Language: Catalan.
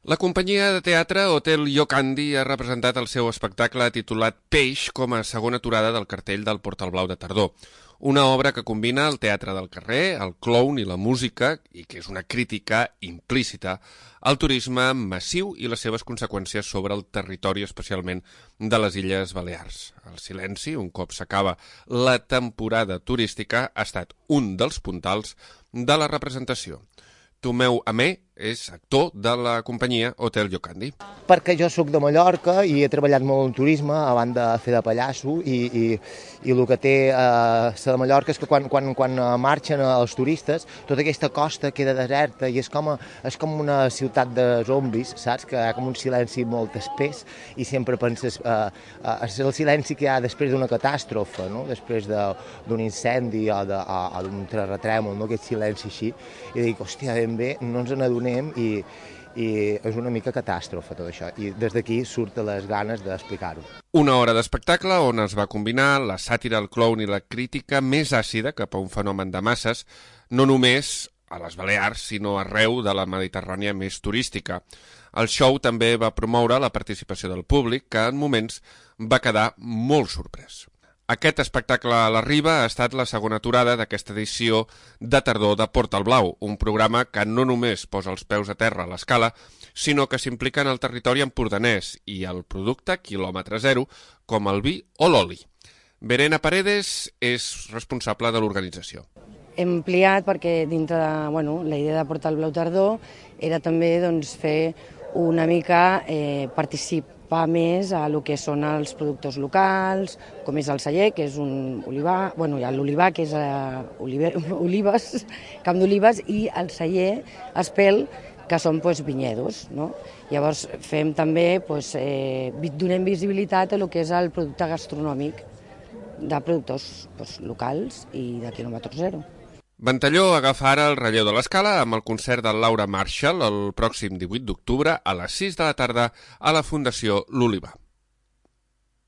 La companyia de teatre Hotel Llocandi ha representat el seu espectacle titulat Peix com a segona aturada del cartell del Portal Blau de Tardor. Una obra que combina el teatre del carrer, el clown i la música, i que és una crítica implícita al turisme massiu i les seves conseqüències sobre el territori, especialment de les Illes Balears. El silenci, un cop s'acaba la temporada turística, ha estat un dels puntals de la representació. Tomeu Amé és actor de la companyia Hotel Llocandi. Perquè jo sóc de Mallorca i he treballat molt en turisme, a banda de fer de pallasso, i el que té la de Mallorca és que quan marxen els turistes, tota aquesta costa queda deserta i és com una ciutat de zombis, saps? Que hi ha com un silenci molt espès i sempre penses, és el silenci que hi ha després d'una catàstrofe, no? Després d'un incendi o d'un terratrèmol, no? Aquest silenci així, i dic, hòstia, ben bé, no ens n'adonem i és una mica catàstrofe tot això, i des d'aquí surten les ganes d'explicar-ho. Una hora d'espectacle on es va combinar la sàtira, el clown i la crítica més àcida cap a un fenomen de masses, no només a les Balears, sinó arreu de la Mediterrània més turística. El show també va promoure la participació del públic, que en moments va quedar molt sorprès. Aquest espectacle a la Riba ha estat la segona aturada d'aquesta edició de tardor de Portal Blau, un programa que no només posa els peus a terra a l'escala, sinó que s'implica en el territori empordanès i el producte quilòmetre zero, com el vi o l'oli. Verena Paredes és responsable de l'organització. Hem ampliat perquè dintre de la idea de Portal Blau Tardor era també fer una mica participar més a lo que són els productors locals, com és el celler, que és un olivar, hi ha l'olivar, que és olives, camp d'olives, i el celler Espel, que són vinyedos, no? Llavors fem també, donem visibilitat a lo que és el producte gastronòmic de productors locals i de quilòmetre zero. Ventalló agafa ara el relleu de l'escala amb el concert de Laura Marshall el pròxim 18 d'octubre a les 6 de la tarda a la Fundació L'Olivar.